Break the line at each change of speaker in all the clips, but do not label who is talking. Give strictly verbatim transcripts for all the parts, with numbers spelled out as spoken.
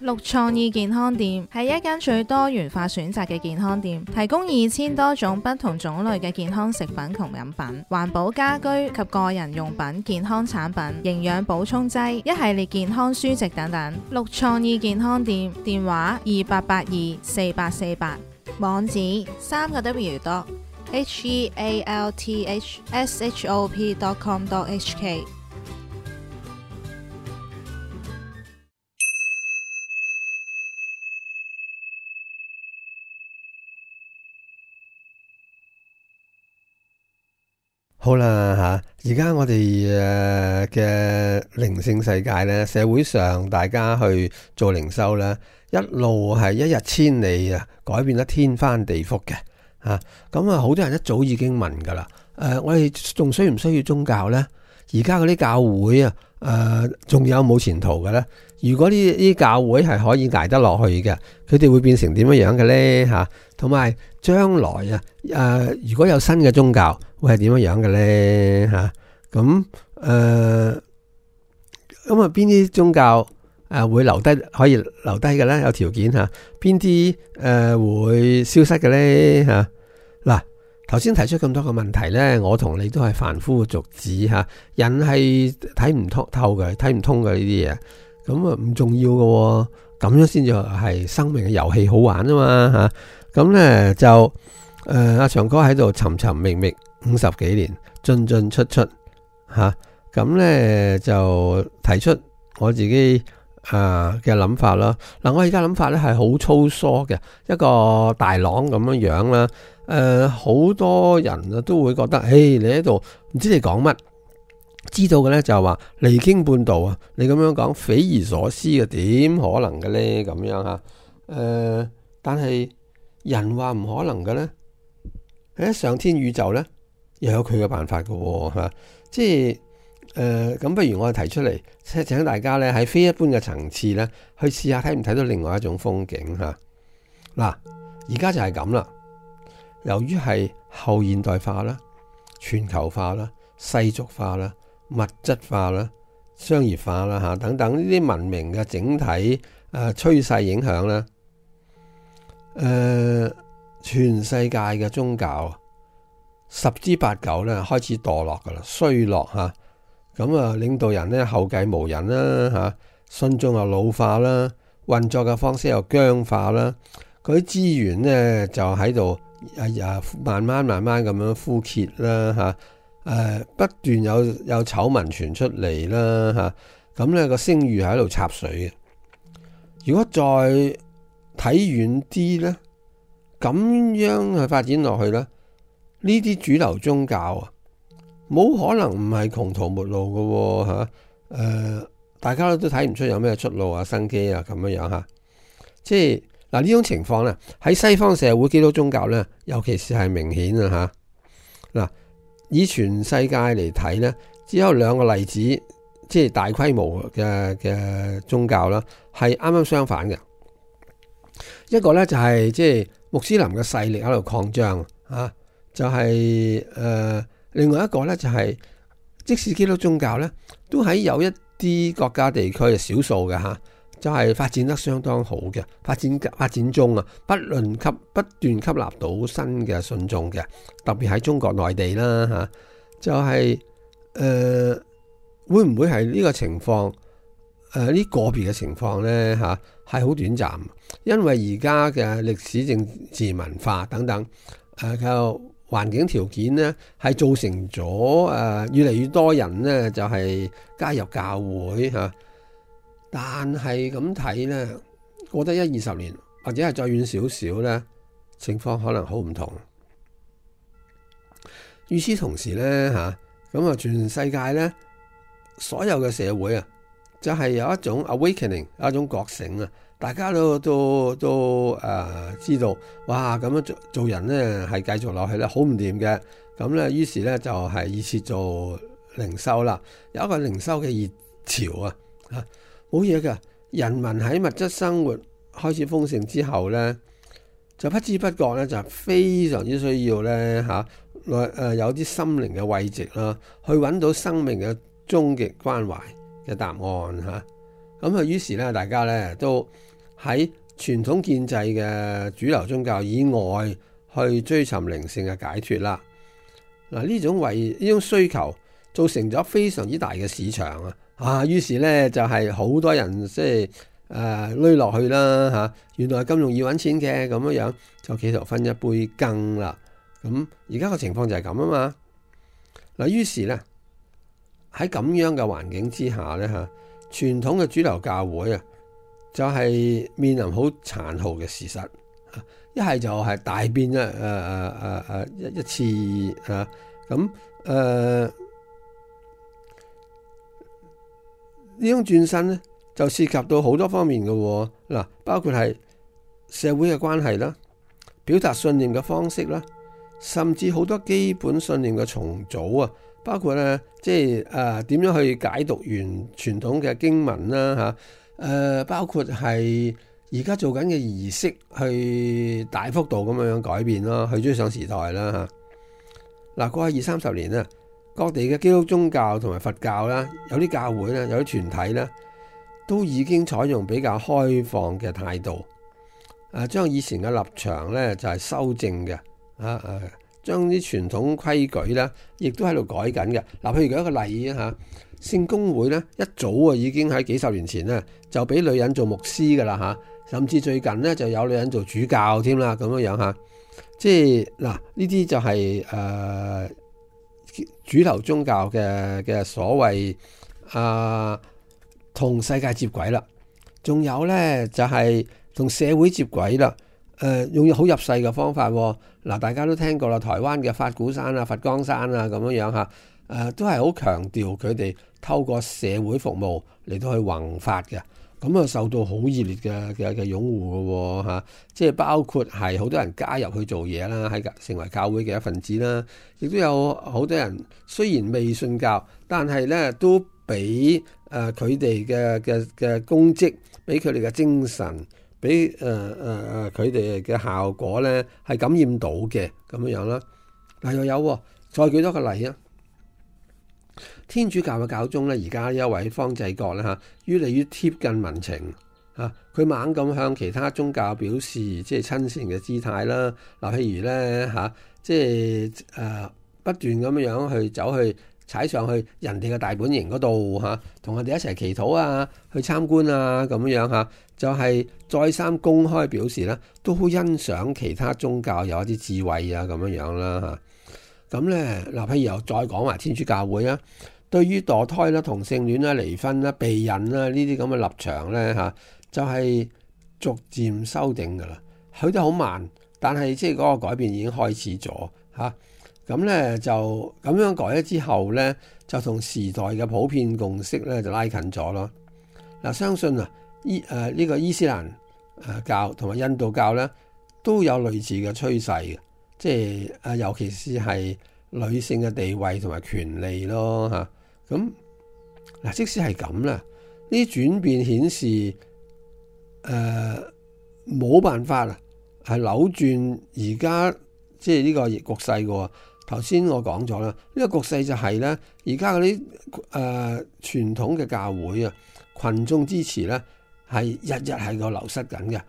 綠創意健康店係一間最多元化選擇嘅健康店，提供二千多種不同種類嘅健康食品同飲品、環保家居及個人用品、健康產品、營養補充劑、一系列健康書籍等等。綠創意健康店電話二八八二四八四八，網址三個 W 多 H E A L T H S H O P dot com dot H K。
好啦吓，而家我哋誒嘅靈性世界咧，社會上大家去做靈修咧，一路係一日千里啊，改變得天翻地覆嘅吓。咁啊，好多人一早已經問噶啦。誒、呃，我哋仲需唔需要宗教咧？而家嗰啲教會啊，誒、呃，仲有冇前途嘅咧？如果呢啲教會係可以捱得落去嘅，佢哋會變成點樣樣嘅咧？吓，同埋將來啊，誒、呃，如果有新嘅宗教，會係點樣樣嘅咧？吓，咁誒，咁啊，邊啲宗教誒會留低，可以留低嘅咧？有條件吓，邊啲誒會消失嘅咧？吓，嗱。頭先提出咁多個問題呢，我同你都係凡夫俗子吓，人係睇唔通透嘅，睇唔通嘅呢啲嘢，咁啊唔重要嘅，咁樣先至係生命嘅遊戲好玩啊嘛吓，咁呢就誒阿、呃、長哥喺度尋尋覓覓五十幾年，進進出出吓，咁、啊、呢就提出我自己誒嘅諗法啦。嗱，我而家諗法呢係好粗疏嘅，一個大朗咁樣樣啦。誒、呃，好多人啊都會覺得，誒，你喺度唔知你講乜，知道嘅咧就係話離經叛道啊！你咁樣講匪夷所思嘅，點可能嘅咧？咁樣吓，誒、呃，但係人話唔可能嘅咧，喺上天宇宙咧又有佢嘅辦法嘅吓、啊，即係誒，咁、呃、不如我哋提出嚟，請請大家咧喺非一般嘅層次咧去試下睇唔睇到另外一種風景吓。嗱、啊，而家就係咁啦。由於係後現代化啦、全球化啦、世俗化啦、物質化啦、商業化啦吓等等呢啲文明嘅整體誒趨勢影響啦，誒、呃、全世界嘅宗教十之八九咧開始墮落噶啦，衰落吓，咁啊領導人咧後繼無人啦吓，信眾又老化啦，運作嘅方式又僵化啦，嗰啲資源咧就喺度。啊！慢慢慢慢咁樣枯竭啦嚇，誒、啊、不斷有有醜聞傳出嚟啦嚇，咁咧個聲譽喺度插水嘅。如果再睇遠啲咧，咁樣去發展落去咧，呢啲主流宗教啊，冇可能唔係窮途末路嘅喎嚇，誒大家都睇唔出有咩出路啊、生機啊咁樣樣嚇，即係。嗱，呢種情況咧，喺西方社會基督宗教咧，尤其是係明顯啊嚇。嗱，以全世界嚟睇咧，只有兩個例子，即係大規模嘅嘅宗教啦，係啱啱相反嘅。一個咧就係即係穆斯林嘅勢力喺度擴張啊，就係、是、誒、呃、另外一個咧就係、是、即使基督宗教咧，都喺有一啲國家地區係少數嘅嚇。就係發展得相當好嘅，發展發展中啊，不論吸不斷吸納到新嘅信眾嘅，特別喺中國內地啦嚇、啊，就係、是、誒、呃、會唔會係呢個情況？誒、呃、呢個別嘅情況咧嚇係好短暫，因為而家嘅歷史、政治、文化等等誒嘅環境條件咧，係造成咗誒、呃、越嚟越多人咧就係、是、加入教會嚇。啊但係咁睇呢，過得一二十年或者係再遠少少呢，情況可能好唔同。與此同時呢，吓咁啊，全世界呢，所有嘅社會啊，就係、是、有一種 awakening， 有一種覺醒啊，大家都都都誒、呃、知道，哇咁樣做做人呢係繼續落去咧好唔掂嘅，咁呢，於是呢，就係以次做靈修啦，有一個靈修嘅熱潮啊，吓。冇嘢㗎，人民喺物質生活開始豐盛之後呢，就不知不覺呢，就非常之需要呢，嚇、啊，誒有啲心靈嘅慰藉啦，去揾到生命嘅終極關懷嘅答案嚇。咁啊，於是咧，大家咧都喺傳統建制嘅主流宗教以外去追尋靈性嘅解脫啦。嗱，呢種為呢種需求造成咗非常之大嘅市場啊！啊，於是咧就係、是、好多人即係誒攏落去啦嚇。原來咁容易揾錢嘅咁樣樣，就企圖分一杯羹啦。咁而家個情況就係咁啊嘛。嗱，於是咧喺咁樣嘅環境之下咧嚇，傳統嘅主流教會啊，就係、是、面臨好殘酷嘅事實。一係就係大變一誒誒誒誒一一次啊，咁誒呢種轉身咧，就涉及到好多方面嘅喎。嗱，包括係社會嘅關係啦，表達信念嘅方式啦，甚至好多基本信念嘅重組啊，包括咧即係誒點樣去解讀完傳統嘅經文啦嚇，誒、呃、包括係。而家做緊嘅儀式，去大幅度咁樣改變咯，去追上時代啦嚇。嗱，過去二三十年咧，各地嘅基督宗教同埋佛教啦，有啲教會咧，有啲團體咧，都已經採用比較開放嘅態度，誒將以前嘅立場咧就係修正嘅，啊誒將啲傳統規矩咧，亦都喺度改緊嘅。嗱，譬如舉一個例啊嚇。聖公會咧一早啊已經喺幾十年前咧就俾女人做牧師噶啦嚇，甚至最近咧就有女人做主教添啦咁樣樣嚇，即係嗱呢啲就係、是、誒、呃、主流宗教嘅嘅所謂啊同世界接軌啦，仲有咧就係、是、同社會接軌啦，誒、呃、用好入世嘅方法喎。嗱，大家都聽過啦，台灣嘅法鼓山啊、佛光山啊咁樣樣嚇，誒、呃、都係好強調佢哋透過社會服務嚟到去弘法嘅，咁啊受到好熱烈嘅嘅嘅擁護嘅喎嚇，即係包括係好多人加入去做嘢啦，喺成為教會嘅一份子啦，亦都有好多人雖然未信教，但係咧都俾誒佢哋嘅嘅嘅功績，俾佢哋嘅精神，俾誒誒誒佢哋嘅效果咧係感染到嘅咁樣樣啦。嗱又有，再舉多個例啊！天主教嘅教宗咧，而家一位方濟各咧嚇，越嚟越貼近民情嚇，佢猛咁向其他宗教表示即係親善嘅姿態啦。嗱，譬如咧嚇，即係誒不斷咁樣去走去踩上去人哋嘅大本營嗰度嚇，同我哋一齊祈禱啊，去參觀啊咁樣嚇，就係再三公開表示咧，都好欣賞其他宗教有一啲智慧啊咁樣樣啦嚇。咁咧嗱，譬如又再講埋天主教會啊，對於墮胎啦、同性戀啦、離婚啦、避孕啦呢啲咁嘅立場咧嚇，就係、是、逐漸修訂噶啦，去得好慢，但係即係嗰個改變已經開始咗嚇。咁、啊、咧就咁樣改咗之後咧，就同時代嘅普遍共識咧就拉近咗咯。嗱、啊，相信啊伊誒呢、這個伊斯蘭誒教同埋印度教咧都有類似嘅趨勢嘅。即係啊，尤其是係女性嘅地位同埋權利咯嚇。咁嗱，即使係咁啦，呢啲轉變顯示誒冇、呃、辦法啊，係扭轉而家即係呢個局勢嘅喎。頭先我講咗啦，呢、這個局勢就係咧，而家嗰啲誒傳統嘅教會啊，群眾支持咧係日日係個流失緊嘅，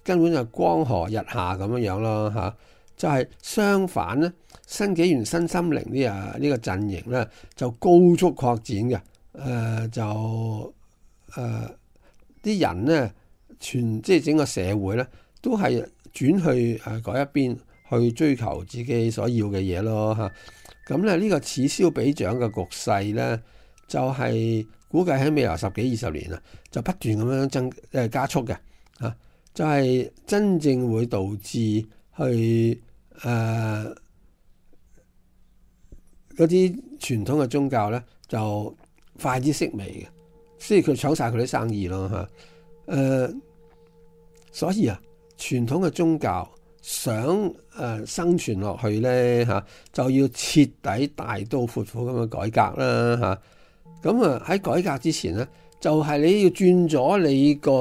根本就光河日下咁樣樣咯嚇。就係相反咧，新紀元新心靈呢啊呢個陣營咧就高速擴展嘅，誒、呃、就誒啲、呃、人咧全即係整個社會咧都係轉去誒嗰一邊去追求自己所要嘅嘢咯嚇。咁咧呢個此消彼長嘅局勢咧，就係、是、估計喺未來十幾二十年啊，就不斷咁樣增誒加速嘅嚇，就係、是、真正會導致去。誒嗰啲傳統嘅宗教咧就快啲式微嘅，所以佢搶晒佢啲生意咯嚇。誒、呃，所以啊，傳統嘅宗教想誒、呃、生存落去咧嚇、啊，就要徹底大刀闊斧咁樣改革啦嚇。咁啊喺改革之前咧，就係、是、你要轉咗你個誒、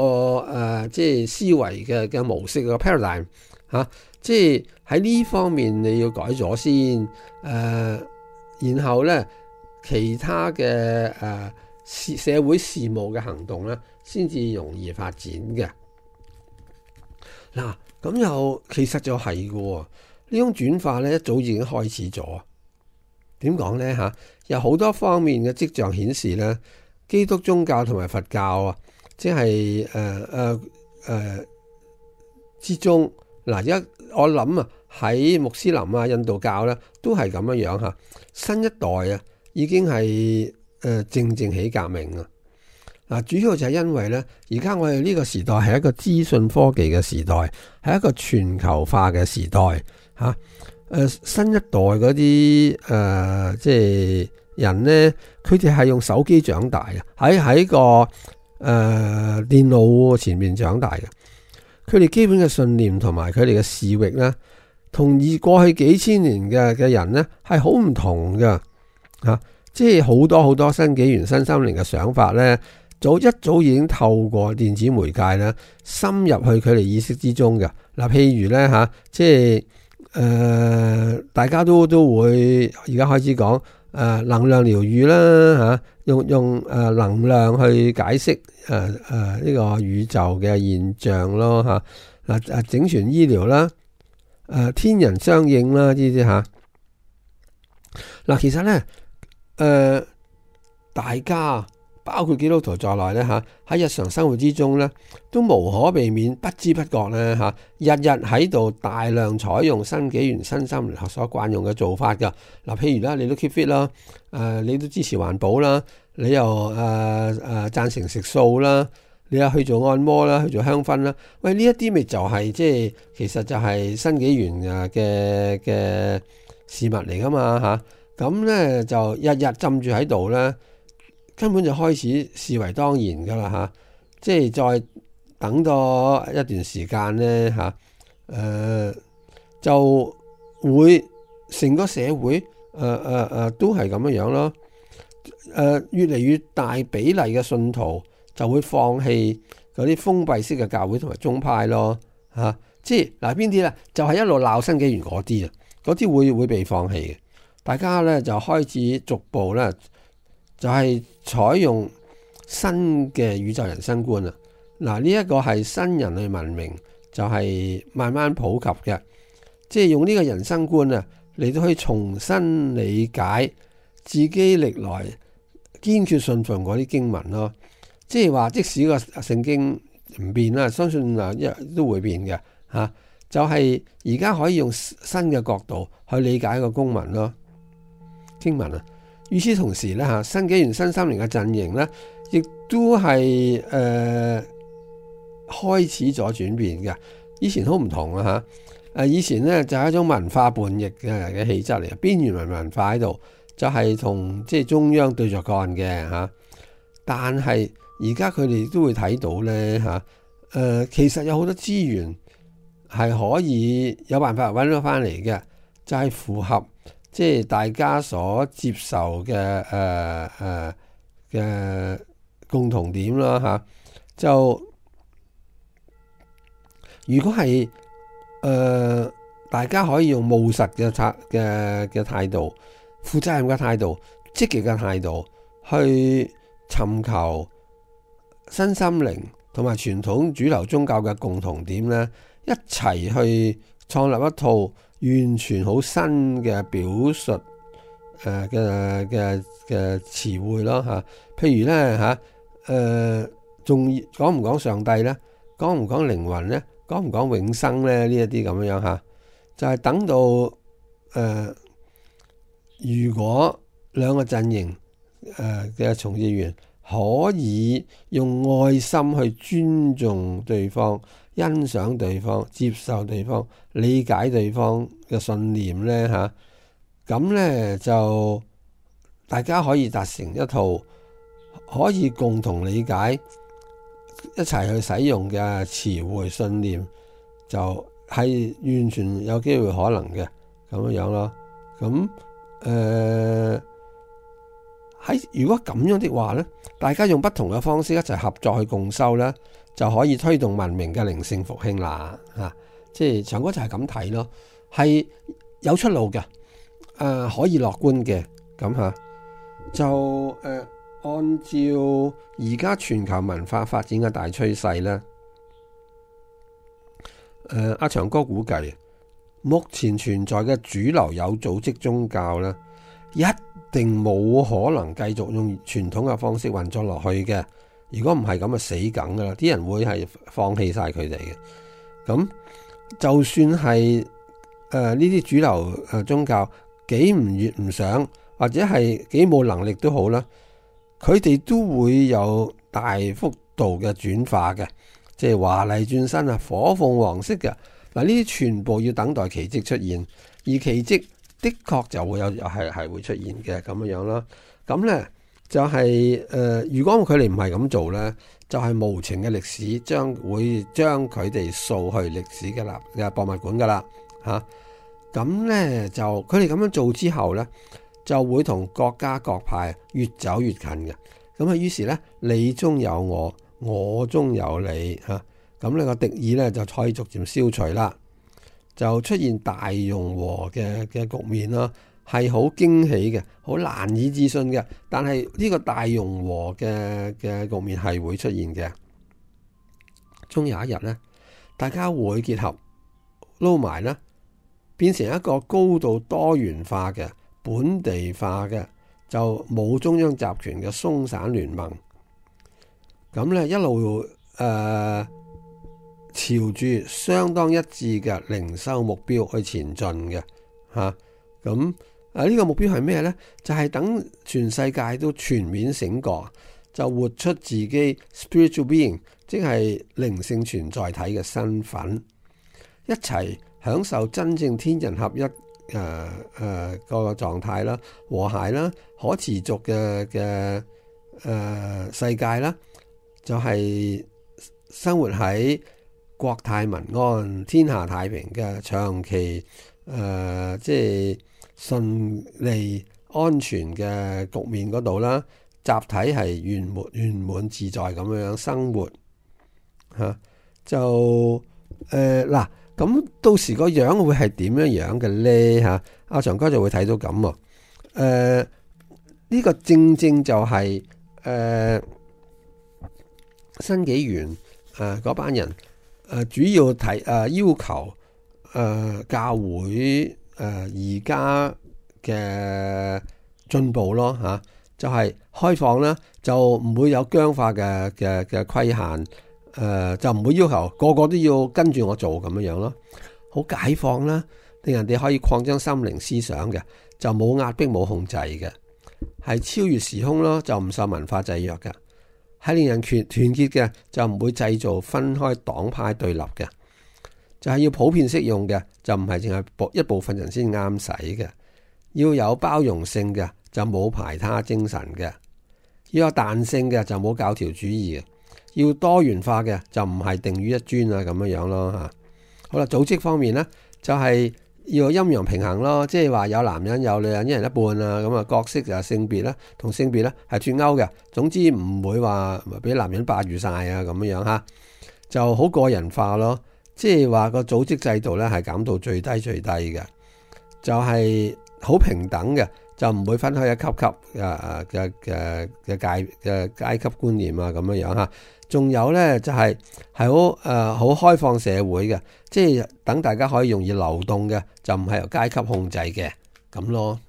呃、即係思維嘅嘅模式個 paradigm 嚇、啊，即係。喺呢方面你要改咗先，誒、呃，然後咧其他嘅誒、呃、事社會事務嘅行動咧，先至容易發展嘅。嗱，咁又其實就係嘅喎，呢種轉化咧一早已經開始咗。點講咧嚇？有好多方面嘅跡象顯示咧，基督宗教同埋佛教啊，即係誒誒誒之中嗱，而家我諗啊，喺穆斯林啊、印度教咧都係咁樣樣嚇。新一代啊，已經係誒、呃、正正起革命啊！嗱，主要就係因為咧，而家我哋呢個時代係一個資訊科技嘅時代，係一個全球化嘅時代嚇。誒、呃、新一代嗰啲誒即係人咧，佢哋係用手機長大嘅，喺喺個誒、呃、電腦前面長大嘅。佢哋基本嘅信念同埋佢哋嘅視域咧，同以過去幾千年嘅嘅人咧係好唔同嘅嚇。即係好多好多新紀元新心靈嘅想法咧，早一早已經透過電子媒介咧，深入去佢哋意識之中嘅。嗱，譬如咧嚇，即係誒、呃、大家都都會而家開始講誒、呃、能量療愈啦嚇，用用誒、呃、能量去解釋誒誒呢個宇宙嘅現象咯嚇。嗱誒整全醫療啦，誒、呃、天人相應啦呢啲嚇。嗱，其實咧。誒、呃，大家包括基督徒在內咧嚇，喺日常生活之中咧，都無可避免、不知不覺咧嚇，日日喺度大量採用新紀元新心靈學所慣用嘅做法㗎。嗱，譬如啦，你都 keep fit 啦，誒，你都支持環保啦，你又誒誒贊成食素啦，你又去做按摩啦，去做香薰啦。喂，呢一啲咪就係即係其實就係新紀元嘅嘅事物嚟㗎嘛嚇。咁咧就日日浸住喺度咧，根本就開始視為當然噶啦嚇，即係再等多一段時間咧嚇，誒、呃、就會成個社會誒誒誒都係咁樣樣咯，誒、呃、越嚟越大比例嘅信徒就會放棄嗰啲封閉式嘅教會同埋宗派咯嚇、啊，即係嗱邊啲咧就係、是、一路鬧新紀元嗰啲啊，嗰啲會會被放棄嘅。大家咧就開始逐步咧，就係採用新嘅宇宙人生觀啊！嗱，呢一個係新人類文明就係慢慢普及嘅，即係用呢個人生觀啊，嚟到去重新理解自己歷來堅決信奉嗰啲經文咯。即係話，即使個聖經唔變啦，相信啊一都會變嘅嚇。就係而家可以用新嘅角度去理解個公文咯。經文啊，與此同時咧嚇，新紀元新心靈嘅陣營咧，亦都係誒、呃、開始咗轉變嘅。以前好唔同啊嚇，誒以前咧就係、是、一種文化叛逆嘅嘅氣質嚟，邊緣文文化喺度，就係、是、同即係中央對着幹嘅嚇。但係而家佢哋都會睇到咧嚇，誒、呃、其實有好多資源係可以有辦法揾到翻嚟嘅，就係、是、符合。即係大家所接受嘅誒誒嘅共同點啦嚇，就如果係誒、呃、大家可以用務實嘅態嘅嘅態度、負責任嘅態度、積極嘅態度去尋求新心靈同埋傳統主流宗教嘅共同點咧，一齊去創立一套完全好新嘅表述誒嘅嘅嘅詞彙咯嚇，譬如咧嚇誒，仲講唔講上帝咧？講唔講靈魂咧？講唔講永生咧？呢一啲咁樣嚇，就係、是、等到誒、呃，如果兩個陣營誒嘅從業員可以用愛心去尊重對方、欣賞對方、接受對方、理解對方嘅信念咧嚇，咁咧就大家可以達成一套可以共同理解、一齊去使用嘅詞彙信念，就係完全有機會可能嘅咁樣樣咯。咁誒喺如果咁樣的話咧，大家用不同嘅方式一齊合作去共修咧，就可以推動文明嘅靈性復興啦嚇。即係長哥就係咁睇咯，係有出路嘅，誒、呃、可以樂觀嘅咁嚇。就誒、呃、按照而家全球文化發展嘅大趨勢呢，誒阿長哥估計，目前存在嘅主流有組織宗教呢，一定冇可能繼續用傳統嘅方式運作落去嘅。如果唔係咁啊，死梗噶啦！啲人會係放棄晒佢哋嘅。咁就算係誒呢啲主流誒宗教幾唔願唔想，或者係幾冇能力都好啦，佢哋都會有大幅度嘅轉化嘅，即係華麗轉身啊，火鳳凰式嘅。嗱，呢啲全部要等待奇蹟出現，而奇蹟的確就會有係係會出現嘅咁樣樣啦。咁咧就係、是、誒、呃，如果佢哋唔係咁做咧，就係、是、無情嘅歷史將會將佢哋掃去歷史嘅立嘅博物館噶啦嚇。咁、啊、咧就佢哋咁樣做之後咧，就會同國家各派越走越近嘅。咁啊，於是咧你中有我，我中有你嚇。咁、啊、呢個敵意咧就可以逐漸消除啦，就出現大融和嘅嘅局面啦。係好驚喜嘅，好難以置信嘅。但係呢個大融和嘅嘅局面係會出現嘅。終有一日呢，大家會結合撈埋呢，變成一個高度多元化嘅本地化嘅，就冇中央集權嘅鬆散聯盟。咁呢一路誒、呃、朝住相當一致嘅靈修目標去前進嘅嚇。咁啊！呢個目標係咩呢？就係、是、等全世界都全面醒覺，就活出自己 spiritual being， 即係靈性存在體嘅身份，一齊享受真正天人合一誒誒個狀態啦，和諧啦，可持續嘅嘅誒世界啦，就係、是、生活喺國泰民安、天下太平嘅長期誒、呃，即係順利安全嘅局面嗰度啦，集體係圓滿圓滿自在咁樣生活嚇、啊，就誒嗱咁到時個樣會係點樣樣嘅咧嚇？阿、啊、長哥就會睇到咁喎，誒、啊、呢、呢個正正就係、是、誒、啊、新紀元誒嗰班人誒、啊、主要提誒、啊、要求誒、啊、教會。誒而家嘅進步咯嚇、啊，就係、是、開放啦，就唔會有僵化嘅嘅嘅規限，誒、呃、就唔會要求個個都要跟住我做咁樣樣咯，好解放啦，令人哋可以擴張心靈思想嘅，就冇壓迫冇控制嘅，係超越時空咯，就唔受文化制約嘅，係令人團團結嘅，就唔會製造分開黨派對立嘅。就係要普遍適用嘅，就唔係淨係一部分人先啱使嘅。要有包容性嘅，就冇排他精神嘅；要有彈性嘅，就冇教條主義嘅；要多元化嘅，就唔係定於一尊啊咁樣樣咯嚇。好啦，組織方面呢，就係、是、要陰陽平衡咯，即係話有男人有女人一人一半啊，咁啊角色就係性別啦，同性別咧係脫鈎嘅。總之唔會話俾男人霸住晒啊咁樣樣嚇，就好個人化咯。即係話個組織制度咧係減到最低最低嘅，就係、是、好平等嘅，就唔會分開一級級嘅嘅嘅嘅階嘅階級觀念啊咁樣樣嚇。仲有咧就係係好誒好開放社會嘅，即係等大家可以容易流動嘅，就唔係由階級控制嘅咁咯。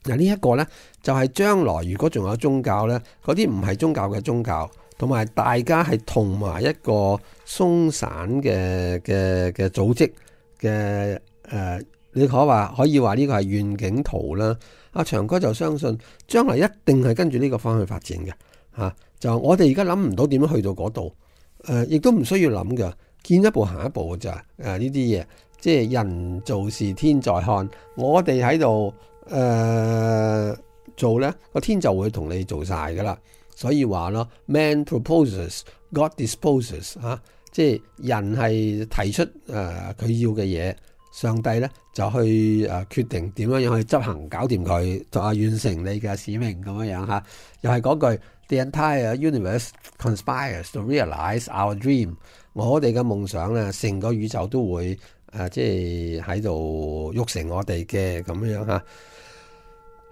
嗱呢一個咧就係、是、將來如果仲有宗教咧，嗰啲唔係宗教嘅宗教。同埋大家係同埋一個鬆散嘅嘅嘅組織嘅誒、呃，你可話可以話呢個係願景圖啦。阿長哥就相信將來一定係跟住呢個方向發展嘅嚇、啊。就我哋而家諗唔到點樣去到嗰度，誒、呃、亦都唔需要諗嘅，見一步行一步嘅咋誒呢啲嘢，即係人做事天在看，我哋喺度誒做咧，個天就會同你做晒噶啦。所以話咯 ，man proposes, God disposes 嚇、啊，即係人係提出誒佢、呃、要嘅嘢，上帝咧就去誒、呃、決定點樣樣去執行，搞掂佢，就啊完成你嘅使命咁樣樣嚇。又係嗰句 ，the entire universe conspires to realize our dream。我哋嘅夢想咧，成個宇宙都會誒、呃、即係喺度喐成我哋嘅咁樣樣嚇。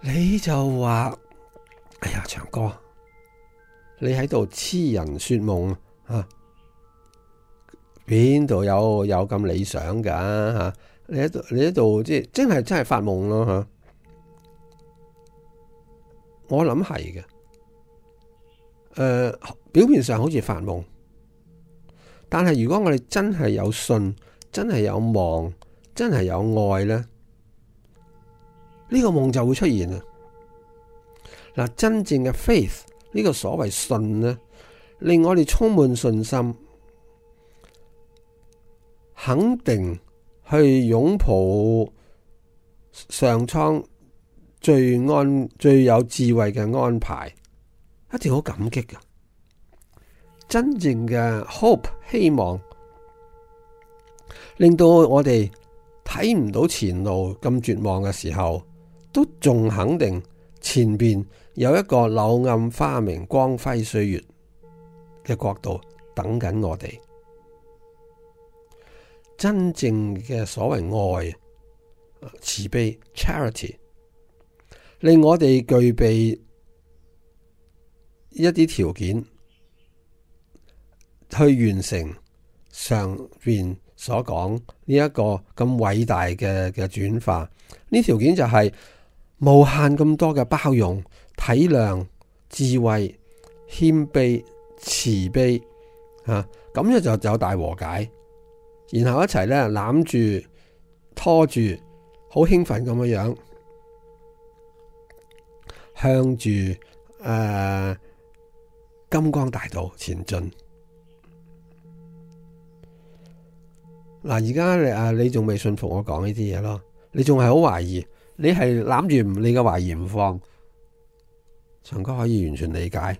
你就話。哎呀，長哥，你喺度痴人說夢啊！邊度有有咁理想噶吓、啊？你喺度你喺度即係真係真係發夢咯吓！我諗係嘅，誒、呃，表面上好似發夢，但係如果我哋真係有信，真係有望，真係有愛咧，呢、這個夢就會出現啊！嗱，真正嘅 faith 呢個所謂信咧，令我哋充滿信心，肯定去擁抱上蒼最安最有智慧嘅安排，一定好感激噶。真正嘅 hope 希望，令到我哋睇唔到前路咁絕望嘅時候，都仲肯定前邊有一個柳暗花明光輝歲月嘅國度等緊我哋。真正嘅所謂愛、慈悲 charity， 令我哋具備一啲條件去完成上邊所講呢一個咁偉大嘅嘅轉化。呢條件就係無限咁多嘅包容、體諒、智慧、謙卑、慈悲啊，咁樣就有大和解。然後一齊咧攬住、拖住，好興奮咁樣樣，向住誒、呃、金光大道前進。嗱，而家你啊，你仲未信服我講呢啲嘢咯？你仲係好懷疑，你係攬住你嘅懷疑唔放。長哥可以完全理解，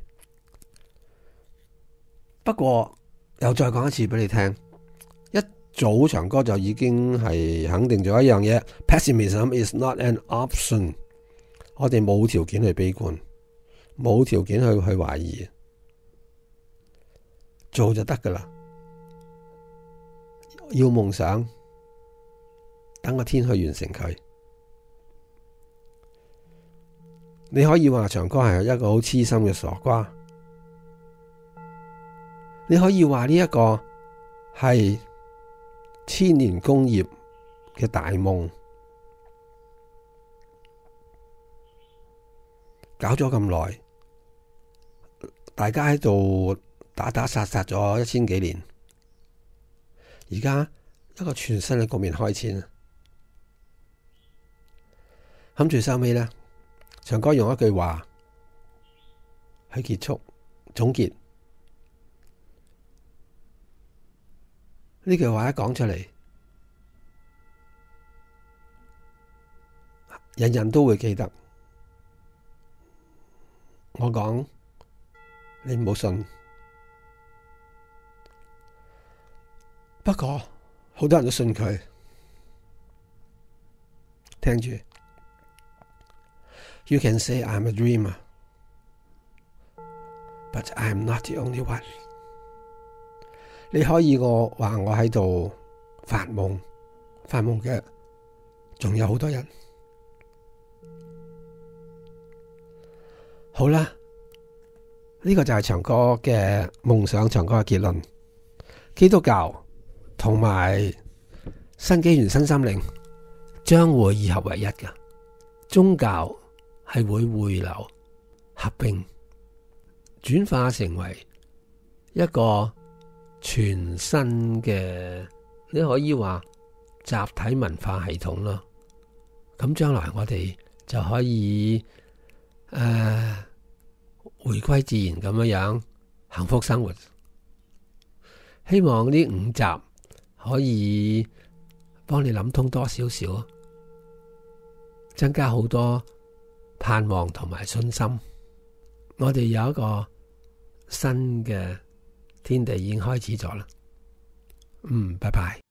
不過又再講一次俾你聽。早長哥就已經係肯定咗一樣嘢 ，Pessimism is not an option。我哋冇條件去悲觀，冇條件去去懷疑，做就得噶啦。要夢想，等個天去完成佢。你可以話長哥係一個好痴心嘅傻瓜，你可以話呢一個係千年功業嘅大夢，搞咗咁耐，大家喺度打打殺殺咗一千幾年，而家一個全新嘅局面開始啦。諗住收尾咧，長哥用一句話去結束總結。呢句話一講出嚟，人人都會記得。我講，你唔好信。不過好多人都信佢。聽住 ，You can say I'm a dreamer, but I'm not the only one。你可以我話我喺度發夢，發夢嘅仲有好多人。好啦，呢個就係長哥嘅夢想，長哥嘅結論。基督教同埋新紀元新心靈將會二合為一嘅，宗教係會匯流合併，轉化成為一個全新嘅，你可以話集體文化系統咯。咁將來我哋就可以誒、呃、回歸自然咁樣樣幸福生活。希望呢五集可以幫你諗通多少少，增加好多盼望同埋信心。我哋有一個新嘅天地已經開始咗啦。嗯，拜拜。